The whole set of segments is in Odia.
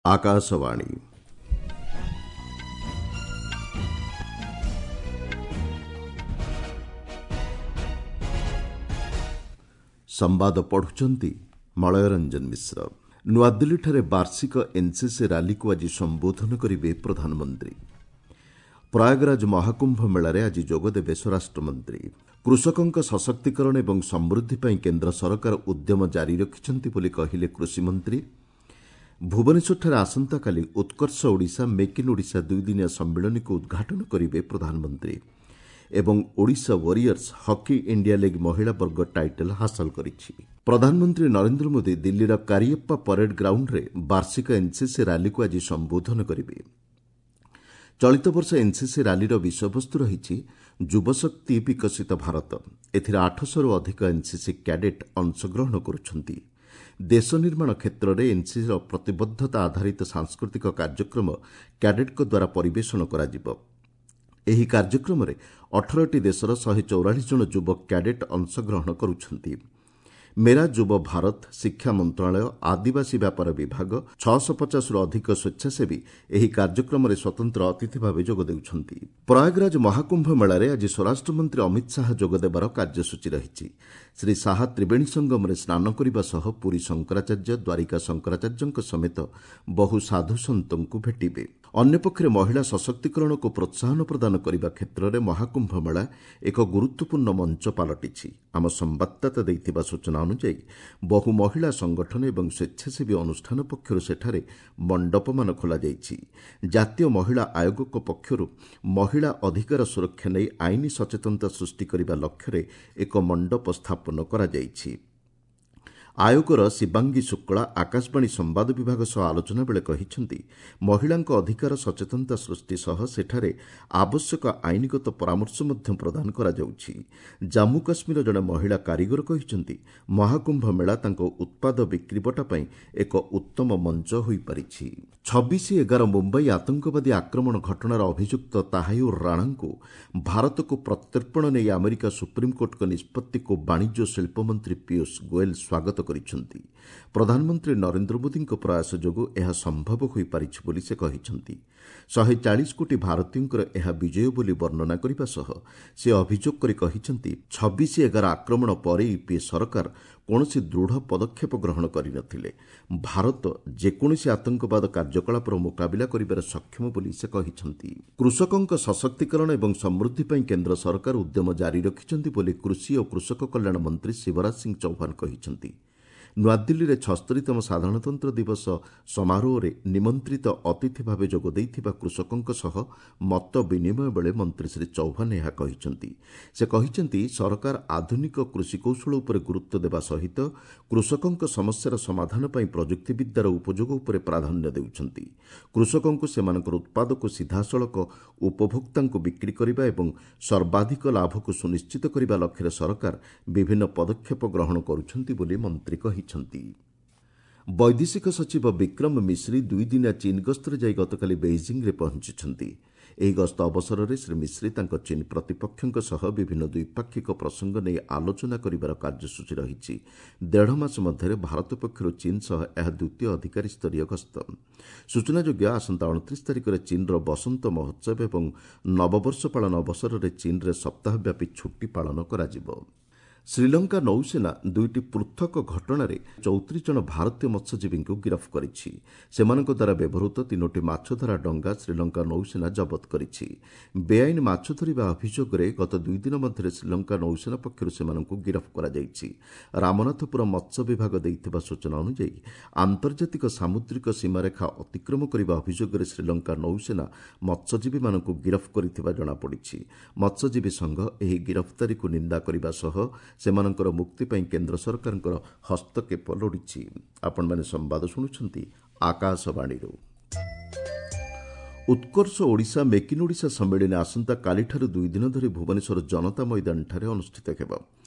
ଆକାଶବାଣୀ। ସମ୍ବାଦ ପଢୁଛନ୍ତି ମଳୟ ରଞ୍ଜନ ମିଶ୍ର। ନୂଆଦିଲ୍ଲୀଠାରେ ବାର୍ଷିକ ଏନ୍ସିସି ର୍ୟାଲିକୁ ଆଜି ସମ୍ବୋଧନ କରିବେ ପ୍ରଧାନମନ୍ତ୍ରୀ। ପ୍ରୟାଗରାଜ ମହାକୁମ୍ଭ ମେଳାରେ ଆଜି ଯୋଗଦେବେ ସ୍ୱରାଷ୍ଟ୍ରମନ୍ତ୍ରୀ। କୃଷକଙ୍କ ସଶକ୍ତିକରଣ ଏବଂ ସମୃଦ୍ଧି ପାଇଁ କେନ୍ଦ୍ର ସରକାର ଉଦ୍ୟମ ଜାରି ରଖିଛନ୍ତି ବୋଲି କହିଲେ କୃଷିମନ୍ତ୍ରୀ। ଭୁବନେଶ୍ୱରଠାରେ ଆସନ୍ତାକାଲି ଉତ୍କର୍ଷ ଓଡ଼ିଶା ମେକ୍ ଇନ୍ ଓଡ଼ିଶା ଦୁଇଦିନିଆ ସମ୍ମିଳନୀକୁ ଉଦ୍ଘାଟନ କରିବେ ପ୍ରଧାନମନ୍ତ୍ରୀ। ଏବଂ Odisha warriors hockey India league ମହିଳା ବର୍ଗ ଟାଇଟଲ୍ ହାସଲ କରିଛି। ପ୍ରଧାନମନ୍ତ୍ରୀ ନରେନ୍ଦ୍ର ମୋଦି ଦିଲ୍ଲୀର କାରିଏପ୍ପା ପରେଡ୍ ଗ୍ରାଉଣ୍ଡରେ ବାର୍ଷିକ ଏନ୍ସିସି ର୍ୟାଲିକୁ ଆଜି ସମ୍ବୋଧନ କରିବେ। ଚଳିତ ବର୍ଷ ଏନ୍ସିସି ର୍ୟାଲିର ବିଷୟବସ୍ତୁ ରହିଛି ଯୁବଶକ୍ତି ବିକଶିତ ଭାରତ। ଏଥିରେ 800ରୁ ଅଧିକ ଏନ୍ସିସି କ୍ୟାଡେଟ୍ ଅଂଶଗ୍ରହଣ କରୁଛନ୍ତି। ଦେଶ ନିର୍ମାଣ କ୍ଷେତ୍ରରେ ଏନ୍ସିସିର ପ୍ରତିବଦ୍ଧତା ଆଧାରିତ ସାଂସ୍କୃତିକ କାର୍ଯ୍ୟକ୍ରମ କ୍ୟାଡେଟ୍ଙ୍କ ଦ୍ୱାରା ପରିବେଷଣ କରାଯିବ। ଏହି କାର୍ଯ୍ୟକ୍ରମରେ 18ଟି ଦେଶର 144 ଜଣ ଯୁବ କ୍ୟାଡେଟ୍ ଅଂଶଗ୍ରହଣ କରୁଛନ୍ତି। ମେରା ଯୁବ ଭାରତ, ଶିକ୍ଷା ମନ୍ତ୍ରଣାଳୟ, ଆଦିବାସୀ ବ୍ୟାପାର ବିଭାଗ, 650ରୁ ଅଧିକ ସ୍ୱେଚ୍ଛାସେବୀ ଏହି କାର୍ଯ୍ୟକ୍ରମରେ ସ୍ୱତନ୍ତ୍ର ଅତିଥି ଭାବେ ଯୋଗ ଦେଉଛନ୍ତି। ପ୍ରୟାଗରାଜ ମହାକୁମ୍ଭ ମେଳାରେ ଆଜି ସ୍ୱରାଷ୍ଟ୍ରମନ୍ତ୍ରୀ ଅମିତ ଶାହା ଯୋଗଦେବାର କାର୍ଯ୍ୟସୂଚୀ ରହିଛି। ଶ୍ରୀ ଶାହା ତ୍ରିବେଣୀ ସଙ୍ଗମରେ ସ୍ନାନ କରିବା ସହ ପୁରୀ ଶଙ୍କରାଚାର୍ଯ୍ୟ, ଦ୍ୱାରିକା ଶଙ୍କରାଚାର୍ଯ୍ୟଙ୍କ ସମେତ ବହୁ ସାଧୁସନ୍ଥଙ୍କୁ ଭେଟିବେ। ଅନ୍ୟପକ୍ଷରେ ମହିଳା ସଶକ୍ତିକରଣକୁ ପ୍ରୋତ୍ସାହନ ପ୍ରଦାନ କରିବା କ୍ଷେତ୍ରରେ ମହାକୁମ୍ଭ ମେଳା ଏକ ଗୁରୁତ୍ୱପୂର୍ଣ୍ଣ ମଞ୍ଚ ପାଲଟିଛି। ଆମ ସମ୍ବାଦଦାତା ଦେଇଥିବା ସୂଚନା ଅନୁଯାୟୀ ବହୁ ମହିଳା ସଂଗଠନ ଏବଂ ସ୍ୱେଚ୍ଛାସେବୀ ଅନୁଷ୍ଠାନ ପକ୍ଷରୁ ସେଠାରେ ମଣ୍ଡପମାନ ଖୋଲାଯାଇଛି। ଜାତୀୟ ମହିଳା ଆୟୋଗଙ୍କ ପକ୍ଷରୁ ମହିଳା ଅଧିକାର ସୁରକ୍ଷା ନେଇ ଆଇନ ସଚେତନତା ସୃଷ୍ଟି କରିବା ଲକ୍ଷ୍ୟରେ ଏକ ମଣ୍ଡପ ସ୍ଥାପନ କରାଯାଇଛି। ଆୟୋଗର ଶିବାଙ୍ଗୀ ଶୁକ୍ଳା ଆକାଶବାଣୀ ସମ୍ବାଦ ବିଭାଗ ସହ ଆଲୋଚନା ବେଳେ କହିଛନ୍ତି, ମହିଳାଙ୍କ ଅଧିକାର ସଚେତନତା ସୃଷ୍ଟି ସହ ସେଠାରେ ଆବଶ୍ୟକ ଆଇନଗତ ପରାମର୍ଶ ମଧ୍ୟ ପ୍ରଦାନ କରାଯାଉଛି। ଜାମ୍ମୁ କାଶ୍ମୀରର ଜଣେ ମହିଳା କାରିଗର କହିଛନ୍ତି, ମହାକୁମ୍ଭ ମେଳା ତାଙ୍କ ଉତ୍ପାଦ ବିକ୍ରିବଟା ପାଇଁ ଏକ ଉତ୍ତମ ମଞ୍ଚ ହୋଇପାରିଛି। 26/11 ମୁମ୍ବାଇ ଆତଙ୍କବାଦୀ ଆକ୍ରମଣ ଘଟଣାର ଅଭିଯୁକ୍ତ ତାହାୟୁର ରାଣାଙ୍କୁ ଭାରତକୁ ପ୍ରତ୍ୟର୍ପଣ ନେଇ ଆମେରିକା ସୁପ୍ରିମକୋର୍ଟଙ୍କ ନିଷ୍ପତ୍ତିକୁ ବାଣିଜ୍ୟ ଶିଳ୍ପମନ୍ତ୍ରୀ ପୀୟୁଷ ଗୋଏଲ ସ୍ୱାଗତ କରିଛନ୍ତି। ପ୍ରଧାନମନ୍ତ୍ରୀ ନରେନ୍ଦ୍ର ମୋଦିଙ୍କ ପ୍ରୟାସ ଯୋଗୁଁ ଏହା ସମ୍ଭବ ହୋଇପାରିଛି ବୋଲି ସେ କହିଛନ୍ତି। 140 କୋଟି ଭାରତୀୟଙ୍କର ଏହା ବିଜୟ ବୋଲି ବର୍ଣ୍ଣନା କରିବା ସହ ସେ ଅଭିଯୋଗ କରି କହିଛନ୍ତି, 26/11 ଆକ୍ରମଣ ପରେ ୟୁପିଏ ସରକାର କୌଣସି ଦୃଢ଼ ପଦକ୍ଷେପ ଗ୍ରହଣ କରିନଥିଲେ। ଭାରତ ଯେକୌଣସି ଆତଙ୍କବାଦ କାର୍ଯ୍ୟକଳାପର ମୁକାବିଲା କରିବାରେ ସକ୍ଷମ ବୋଲି ସେ କହିଛନ୍ତି। କୃଷକଙ୍କ ସଶକ୍ତିକରଣ ଏବଂ ସମୃଦ୍ଧି ପାଇଁ କେନ୍ଦ୍ର ସରକାର ଉଦ୍ୟମ ଜାରି ରଖିଛନ୍ତି ବୋଲି କୃଷି ଓ କୃଷକ କଲ୍ୟାଣ ମନ୍ତ୍ରୀ ଶିବରାଜ ସିଂ ଚୌହାନ କହିଛନ୍ତି। ନୂଆଦିଲ୍ଲୀରେ 76ତମ ସାଧାରଣତନ୍ତ୍ର ଦିବସ ସମାରୋହରେ ନିମନ୍ତ୍ରିତ ଅତିଥି ଭାବେ ଯୋଗ ଦେଇଥିବା କୃଷକଙ୍କ ସହ ମତ ବିନିମୟ ବେଳେ ମନ୍ତ୍ରୀ ଶ୍ରୀ ଚୌହାନ ଏହା କହିଛନ୍ତି। ସେ କହିଛନ୍ତି, ସରକାର ଆଧୁନିକ କୃଷି କୌଶଳ ଉପରେ ଗୁରୁତ୍ୱ ଦେବା ସହିତ କୃଷକଙ୍କ ସମସ୍ୟାର ସମାଧାନ ପାଇଁ ପ୍ରଯୁକ୍ତିବିଦ୍ୟାର ଉପଯୋଗ ଉପରେ ପ୍ରାଧାନ୍ୟ ଦେଉଛନ୍ତି। କୃଷକଙ୍କୁ ସେମାନଙ୍କର ଉତ୍ପାଦକୁ ସିଧାସଳଖ ଉପଭୋକ୍ତାଙ୍କୁ ବିକ୍ରି କରିବା ଏବଂ ସର୍ବାଧିକ ଲାଭକୁ ସୁନିଶ୍ଚିତ କରିବା ଲକ୍ଷ୍ୟରେ ସରକାର ବିଭିନ୍ନ ପଦକ୍ଷେପ ଗ୍ରହଣ କରୁଛନ୍ତି ବୋଲି ମନ୍ତ୍ରୀ କହିଛନ୍ତି। ବୈଦେଶିକ ସଚିବ ବିକ୍ରମ ମିଶ୍ରି ଦୁଇଦିନିଆ ଚୀନ୍ ଗସ୍ତରେ ଯାଇ ଗତକାଲି ବେଇଜିଂରେ ପହଞ୍ଚିଛନ୍ତି। ଏହି ଗସ୍ତ ଅବସରରେ ଶ୍ରୀ ମିଶ୍ରି ତାଙ୍କ ଚୀନ୍ ପ୍ରତିପକ୍ଷଙ୍କ ସହ ବିଭିନ୍ନ ଦ୍ୱିପାକ୍ଷିକ ପ୍ରସଙ୍ଗ ନେଇ ଆଲୋଚନା କରିବାର କାର୍ଯ୍ୟସୂଚୀ ରହିଛି। ଦେଢ଼ ମାସ ମଧ୍ୟରେ ଭାରତ ପକ୍ଷରୁ ଚୀନ୍ ସହ ଏହା ଦ୍ୱିତୀୟ ଅଧିକାରୀ ସ୍ତରୀୟ ଗସ୍ତ। ସୂଚନାଯୋଗ୍ୟ, ଆସନ୍ତା 29 ତାରିଖରେ ଚୀନ୍ର ବସନ୍ତ ମହୋତ୍ସବ ଏବଂ ନବବର୍ଷ ପାଳନ ଅବସରରେ ଚୀନ୍ରେ ସପ୍ତାହବ୍ୟାପୀ ଛୁଟି ପାଳନ କରାଯିବ। ଶ୍ରୀଲଙ୍କା ନୌସେନା ଦୁଇଟି ପୃଥକ ଘଟଣାରେ 34 ଜଣ ଭାରତୀୟ ମତ୍ସ୍ୟଜୀବୀଙ୍କୁ ଗିରଫ କରିଛି। ସେମାନଙ୍କ ଦ୍ୱାରା ବ୍ୟବହୃତ ତିନୋଟି ମାଛଧରା ଡଙ୍ଗା ଶ୍ରୀଲଙ୍କା ନୌସେନା ଜବତ କରିଛି। ବେଆଇନ ମାଛ ଧରିବା ଅଭିଯୋଗରେ ଗତ ଦୁଇଦିନ ମଧ୍ୟରେ ଶ୍ରୀଲଙ୍କା ନୌସେନା ପକ୍ଷରୁ ସେମାନଙ୍କୁ ଗିରଫ କରାଯାଇଛି। ରାମନାଥପୁର ମତ୍ସ୍ୟ ବିଭାଗ ଦେଇଥିବା ସୂଚନା ଅନୁଯାୟୀ ଆନ୍ତର୍ଜାତିକ ସାମୁଦ୍ରିକ ସୀମାରେଖା ଅତିକ୍ରମ କରିବା ଅଭିଯୋଗରେ ଶ୍ରୀଲଙ୍କା ନୌସେନା ମତ୍ସ୍ୟଜୀବୀମାନଙ୍କୁ ଗିରଫ କରିଥିବା ଜଣାପଡ଼ିଛି। ମତ୍ସ୍ୟଜୀବୀ ସଂଘ ଏହି ଗିରଫଦାରୀକୁ ନିନ୍ଦା କରିବା ସହ ସେମାନଙ୍କର ମୁକ୍ତି ପାଇଁ କେନ୍ଦ୍ର ସରକାରଙ୍କର ହସ୍ତକ୍ଷେପ ଲୋଡ଼ିଛି। ଆପଣମାନେ ସମ୍ବାଦ ଶୁଣୁଛନ୍ତି ଆକାଶବାଣୀରୁ। ଉତ୍କର୍ଷ ଓଡ଼ିଶା ମେକ୍ ଇନ୍ ଓଡ଼ିଶା ସମ୍ମିଳନୀ ଆସନ୍ତାକାଲିଠାରୁ ଦୁଇଦିନ ଧରି ଭୁବନେଶ୍ୱର ଜନତା ମଇଦାନଠାରେ ଅନୁଷ୍ଠିତ ହେବ।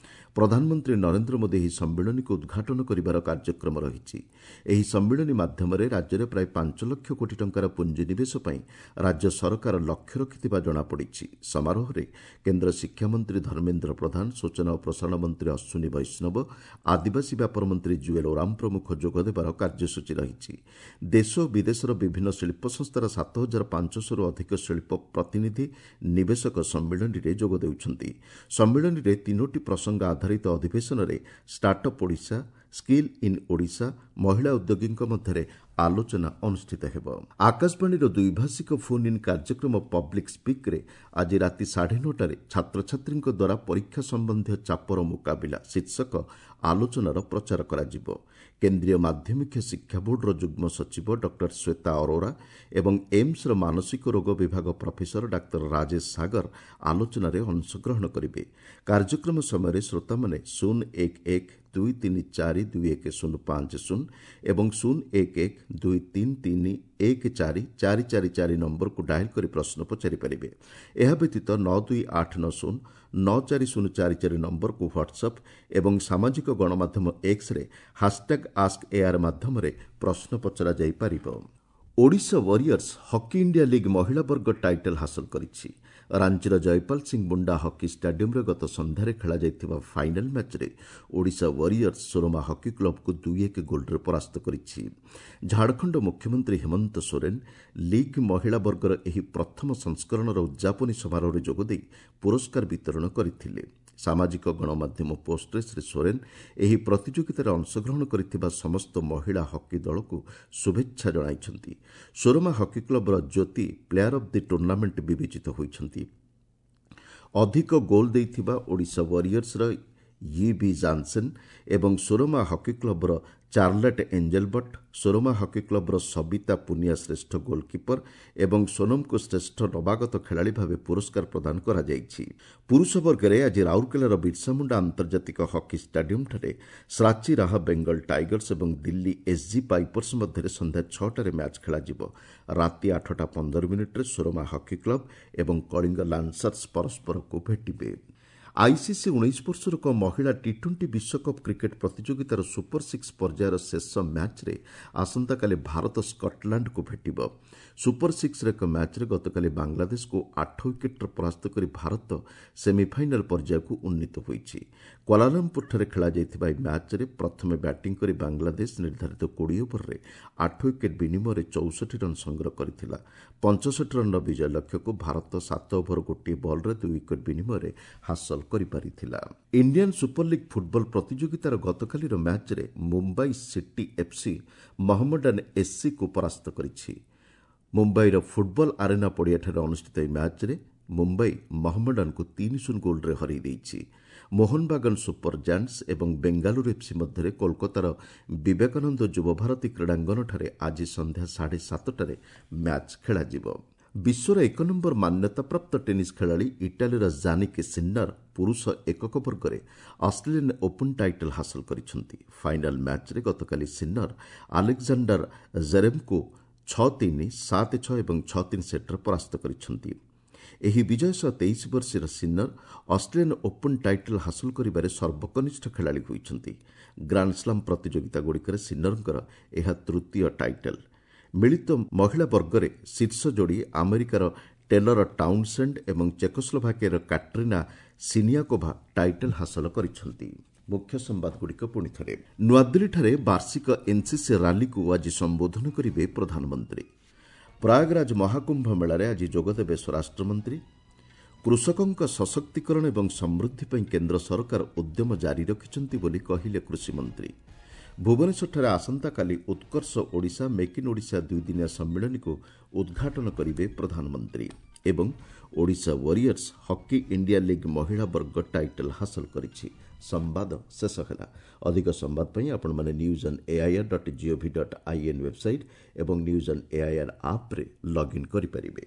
ପ୍ରଧାନମନ୍ତ୍ରୀ ନରେନ୍ଦ୍ର ମୋଦି ଏହି ସମ୍ମିଳନୀକୁ ଉଦ୍ଘାଟନ କରିବାର କାର୍ଯ୍ୟକ୍ରମ ରହିଛି। ଏହି ସମ୍ମିଳନୀ ମାଧ୍ୟମରେ ରାଜ୍ୟରେ ପ୍ରାୟ 5 ଲକ୍ଷ କୋଟି ଟଙ୍କାର ପୁଞ୍ଜିନିବେଶ ପାଇଁ ରାଜ୍ୟ ସରକାର ଲକ୍ଷ୍ୟ ରଖିଥିବା ଜଣାପଡ଼ିଛି। ସମାରୋହରେ କେନ୍ଦ୍ର ଶିକ୍ଷାମନ୍ତ୍ରୀ ଧର୍ମେନ୍ଦ୍ର ପ୍ରଧାନ, ସୂଚନା ଓ ପ୍ରସାରଣ ମନ୍ତ୍ରୀ ଅଶ୍ୱିନୀ ବୈଷ୍ଣବ, ଆଦିବାସୀ ବ୍ୟାପାର ମନ୍ତ୍ରୀ ଜୁଏଲ୍ ଓରାମ ପ୍ରମୁଖ ଯୋଗଦେବାର କାର୍ଯ୍ୟସୂଚୀ ରହିଛି। ଦେଶ ଓ ବିଦେଶର ବିଭିନ୍ନ ଶିଳ୍ପ ସଂସ୍ଥାର 7500ରୁ ଅଧିକ ଶିଳ୍ପ ପ୍ରତିନିଧି, ନିବେଶକ ସମ୍ମିଳନୀରେ ଯୋଗ ଦେଉଛନ୍ତି। ସମ୍ମିଳନୀରେ 3ଟି ପ୍ରସଙ୍ଗ ଆଧାରିତ ଅଧିବେଶନରେ startup Odisha, skill in Odisha, ମହିଳା ଉଦ୍ୟୋଗୀଙ୍କ ମଧ୍ୟରେ ଆଲୋଚନା ଅନୁଷ୍ଠିତ ହେବ। ଆକାଶବାଣୀର ଦ୍ୱିଭାଷିକ ଫୋନ୍ ଇନ୍ କାର୍ଯ୍ୟକ୍ରମ ପବ୍ଲିକ୍ ସ୍ପିକ୍ରେ ଆଜି ରାତି 9:30ରେ ଛାତ୍ରଛାତ୍ରୀଙ୍କ ଦ୍ୱାରା ପରୀକ୍ଷା ସମ୍ବନ୍ଧୀୟ ଚାପର ମୁକାବିଲା ଶୀର୍ଷକ ଆଲୋଚନାର ପ୍ରଚାର କରାଯିବ। କେନ୍ଦ୍ରୀୟ ମାଧ୍ୟମିକ ଶିକ୍ଷା ବୋର୍ଡର ଯୁଗ୍ମ ସଚିବ ଡକ୍ଟର ଶ୍ୱେତା ଅରୋରା ଏବଂ ଏମ୍ସର ମାନସିକ ରୋଗ ବିଭାଗ ପ୍ରଫେସର ଡାକ୍ତର ରାଜେଶ ସାଗର ଆଲୋଚନାରେ ଅଂଶଗ୍ରହଣ କରିବେ। କାର୍ଯ୍ୟକ୍ରମ ସମୟରେ ଶ୍ରୋତାମାନେ 0 1 1 2 3 4 2 1 0 5 0 ଏବଂ 0 1 1 2 3 3 1 4 4 4 4 ନମ୍ବରକୁ ଡାଏଲ୍ କରି ପ୍ରଶ୍ନ ପଚାରିପାରିବେ। ଏହା ବ୍ୟତୀତ 9 2 8 9 0 9 4 0 4 4 ନମ୍ବରକୁ ହ୍ୱାଟ୍ସଆପ୍ ଏବଂ ସାମାଜିକ ଗଣମାଧ୍ୟମ ଏକ୍ସରେ ହାସ୍ଟ୍ୟାଗ୍ ଆସ୍କ ଏଆର୍ ମାଧ୍ୟମରେ ପ୍ରଶ୍ନ ପଚରାଯାଇପାରିବ। Odisha Warriors hockey India league ମହିଳା ବର୍ଗ ଟାଇଟଲ୍ ହାସଲ କରିଛି। ରାଞ୍ଚିର ଜୟପାଲ ସିଂ ମୁଣ୍ଡା ହକି ଷ୍ଟାଡିୟମ୍ରେ ଗତ ସନ୍ଧ୍ୟାରେ ଖେଳାଯାଇଥିବା ଫାଇନାଲ୍ ମ୍ୟାଚ୍ରେ ଓଡ଼ିଶା ୱାରିୟର୍ସ ସୋରମା ହକି କ୍ଲବ୍କୁ 2-1 ଗୋଲ୍ରେ ପରାସ୍ତ କରିଛି। ଝାଡ଼ଖଣ୍ଡ ମୁଖ୍ୟମନ୍ତ୍ରୀ ହେମନ୍ତ ସୋରେନ୍ ଲିଗ୍ ମହିଳା ବର୍ଗର ଏହି ପ୍ରଥମ ସଂସ୍କରଣର ଉଦ୍ଯାପନୀ ସମାରୋହରେ ଯୋଗଦେଇ ପୁରସ୍କାର ବିତରଣ କରିଥିଲେ। ସାମାଜିକ ଗଣମାଧ୍ୟମ ପୋଷ୍ଟରେ ଶ୍ରୀ ସୋରେନ୍ ଏହି ପ୍ରତିଯୋଗିତାରେ ଅଂଶଗ୍ରହଣ କରିଥିବା ସମସ୍ତ ମହିଳା ହକି ଦଳକୁ ଶୁଭେଚ୍ଛା ଜଣାଇଛନ୍ତି। ସୋରମା hockey କ୍ଲବ୍ର Jyoti player of the tournament ବିବେଚିତ ହୋଇଛନ୍ତି। ଅଧିକ ଗୋଲ୍ ଦେଇଥିବା ଓଡ଼ିଶା ୱାରିୟର୍ସର ଇ ବି ଜାନ୍ସେନ୍ ଏବଂ ସୋରମା ହକି କ୍ଲବ୍ର ଚାର୍ଲେଟ୍ ଏଞ୍ଜେଲବଟ୍, ସୋରମା ହକି କ୍ଲବ୍ର ସବିତା ପୁନିଆ ଶ୍ରେଷ୍ଠ ଗୋଲ୍କିପର ଏବଂ ସୋନମଙ୍କୁ ଶ୍ରେଷ୍ଠ ନବାଗତ ଖେଳାଳି ଭାବେ ପୁରସ୍କାର ପ୍ରଦାନ କରାଯାଇଛି। ପୁରୁଷ ବର୍ଗରେ ଆଜି ରାଉରକେଲାର ବିର୍ସାମୁଣ୍ଡା ଆନ୍ତର୍ଜାତିକ ହକି ଷ୍ଟାଡିୟମ୍ଠାରେ ଶ୍ରାଚୀ ରାହା ବେଙ୍ଗଲ ଟାଇଗର୍ସ ଏବଂ ଦିଲ୍ଲୀ ଏସ୍ଜି ପାଇପର୍ସ ମଧ୍ୟରେ ସନ୍ଧ୍ୟା 6ଟାରେ ମ୍ୟାଚ୍ ଖେଳାଯିବ। ରାତି 8ଟା 15 ମିନିଟ୍ରେ ସୋରମା ହକି କ୍ଲବ୍ ଏବଂ କଳିଙ୍ଗ ଲାନ୍ସର୍ସ ପରସ୍ପରକୁ ଭେଟିବେ। ଆଇସିସି 19 ବର୍ଷରୁ କମ୍ ମହିଳା ଟି-20 ବିଶ୍ୱକପ୍ କ୍ରିକେଟ୍ ପ୍ରତିଯୋଗିତାର ସୁପର ସିକ୍ସ ପର୍ଯ୍ୟାୟର ଶେଷ ମ୍ୟାଚ୍ରେ ଆସନ୍ତାକାଲି ଭାରତ ସ୍କଟଲାଣ୍ଡକୁ ଭେଟିବ। ସୁପର ସିକ୍ସର ଏକ ମ୍ୟାଚ୍ରେ ଗତକାଲି ବାଂଲାଦେଶକୁ 8 ୱିକେଟ୍ରେ ପରାସ୍ତ କରି ଭାରତ ସେମିଫାଇନାଲ୍ ପର୍ଯ୍ୟାୟକୁ ଉନ୍ନୀତ ହୋଇଛି। କ୍ୱାଲାଲମ୍ପୁରଠାରେ ଖେଳାଯାଇଥିବା ଏହି ମ୍ୟାଚ୍ରେ ପ୍ରଥମେ ବ୍ୟାଟିଂ କରି ବାଂଲାଦେଶ ନିର୍ଦ୍ଧାରିତ 20 ଓଭରରେ 8 ୱିକେଟ୍ ବିନିମୟରେ 64 ରନ୍ ସଂଗ୍ରହ କରିଥିଲା। 65 ରନ୍ର ବିଜୟ ଲକ୍ଷ୍ୟକୁ ଭାରତ 7 ଓଭର 1 ବଲ୍ରେ 2 ୱିକେଟ୍ ବିନିମୟରେ ହାସଲ କରିପାରିଥିଲା। ଇଣ୍ଡିଆନ୍ ସୁପର ଲିଗ୍ ଫୁଟବଲ ପ୍ରତିଯୋଗିତାର ଗତକାଲିର ମ୍ୟାଚ୍ରେ ମୁମ୍ବାଇ ସିଟି ଏଫ୍ସି ମହମ୍ମଡାନ୍ ଏସ୍ସିକୁ ପରାସ୍ତ କରିଛି। ମୁମ୍ବାଇର ଫୁଟବଲ ଆରେନା ପଡ଼ିଆଠାରେ ଅନୁଷ୍ଠିତ ଏହି ମ୍ୟାଚ୍ରେ ମୁମ୍ବାଇ ମହମ୍ମଡାନ୍କୁ 3-0 ଗୋଲ୍ରେ ହରାଇ ଦେଇଛି। ମୋହନବାଗାନ ସୁପର ଜାଣ୍ଟସ୍ ଏବଂ ବେଙ୍ଗାଲୁରୁ ଏଫ୍ସି ମଧ୍ୟରେ କୋଲକାତାର ବିବେକାନନ୍ଦ ଯୁବଭାରତୀ କ୍ରୀଡ଼ାଙ୍ଗନଠାରେ ଆଜି ସନ୍ଧ୍ୟା 7:30ଟାରେ ମ୍ୟାଚ୍ ଖେଳାଯିବ। ବିଶ୍ୱର ଏକ ନମ୍ବର ମାନ୍ୟତାପ୍ରାପ୍ତ ଟେନିସ୍ ଖେଳାଳି ଇଟାଲୀର ଜାନିକ୍ ସିନ୍ନର ପୁରୁଷ ଏକକ ବର୍ଗରେ ଅଷ୍ଟ୍ରେଲିଆନ୍ ଓପନ୍ ଟାଇଟଲ୍ ହାସଲ କରିଛନ୍ତି। ଫାଇନାଲ୍ ମ୍ୟାଚ୍ରେ ଗତକାଲି ସିନ୍ନର ଆଲେକ୍ଜାଣ୍ଡାର ଜେରେଭ୍ଙ୍କୁ 6-3, 7-6 ଏବଂ 6-3 ସେଟ୍ରେ ପରାସ୍ତ କରିଛନ୍ତି। ଏହି ବିଜୟ ସହ 23 ବର୍ଷୀୟ ସିନ୍ନର ଅଷ୍ଟ୍ରେଲିଆନ୍ ଓପନ୍ ଟାଇଟଲ୍ ହାସଲ କରିବାରେ ସର୍ବକନିଷ୍ଠ ଖେଳାଳି ହୋଇଛନ୍ତି। ଗ୍ରାଣ୍ଡସ୍ଲାମ୍ ପ୍ରତିଯୋଗିତାଗୁଡ଼ିକରେ ସିନ୍ନରଙ୍କର ଏହା ତୃତୀୟ ଟାଇଟଲ୍। ମିଳିତ ମହିଳା ବର୍ଗରେ ଶୀର୍ଷ ଯୋଡ଼ି ଆମେରିକାର ଟେଲର ଟାଉନସେଣ୍ଡ ଏବଂ ଚେକୋସ୍ଲୋଭାକିଆର କାଟ୍ରିନା ସିନିଆକୋଭା ଟାଇଟଲ୍ ହାସଲ କରିଛନ୍ତି। ମୁଖ୍ୟ ସମ୍ବାଦଗୁଡ଼ିକ ପୁଣି ଥରେ। ନୂଆଦିଲ୍ଲୀଠାରେ ବାର୍ଷିକ ଏନ୍ସିସି ରାଲିକୁ ଆଜି ସମ୍ବୋଧନ କରିବେ ପ୍ରଧାନମନ୍ତ୍ରୀ। ପ୍ରୟାଗରାଜ ମହାକୁମ୍ଭ ମେଳାରେ ଆଜି ଯୋଗଦେବେ ସ୍ୱରାଷ୍ଟ୍ରମନ୍ତ୍ରୀ। କୃଷକଙ୍କ ସଶକ୍ତିକରଣ ଏବଂ ସମୃଦ୍ଧି ପାଇଁ କେନ୍ଦ୍ର ସରକାର ଉଦ୍ୟମ ଜାରି ରଖିଛନ୍ତି ବୋଲି କହିଲେ କୃଷିମନ୍ତ୍ରୀ। ଭୁବନେଶ୍ୱରଠାରେ ଆସନ୍ତାକାଲି ଉତ୍କର୍ଷ ଓଡ଼ିଶା, ମେକ୍ ଇନ୍ ଓଡ଼ିଶା ଦୁଇଦିନିଆ ସମ୍ମିଳନୀକୁ ଉଦ୍ଘାଟନ କରିବେ ପ୍ରଧାନମନ୍ତ୍ରୀ ଏବଂ Odisha Warriors hockey India league ମହିଳା ବର୍ଗ ଟାଇଟଲ୍ ହାସଲ କରିଛି। ସମ୍ବାଦ ଶେଷ ହେଲା। ଅଧିକ ସମ୍ବାଦ ପାଇଁ ଆପଣମାନେ news on AIR.gov.in website ଏବଂ ନ୍ୟୁଜ୍ ଅନ୍ ଏଆଇଆର୍ ଆପ୍ରେ ଲଗ୍ଇନ୍ କରିପାରିବେ।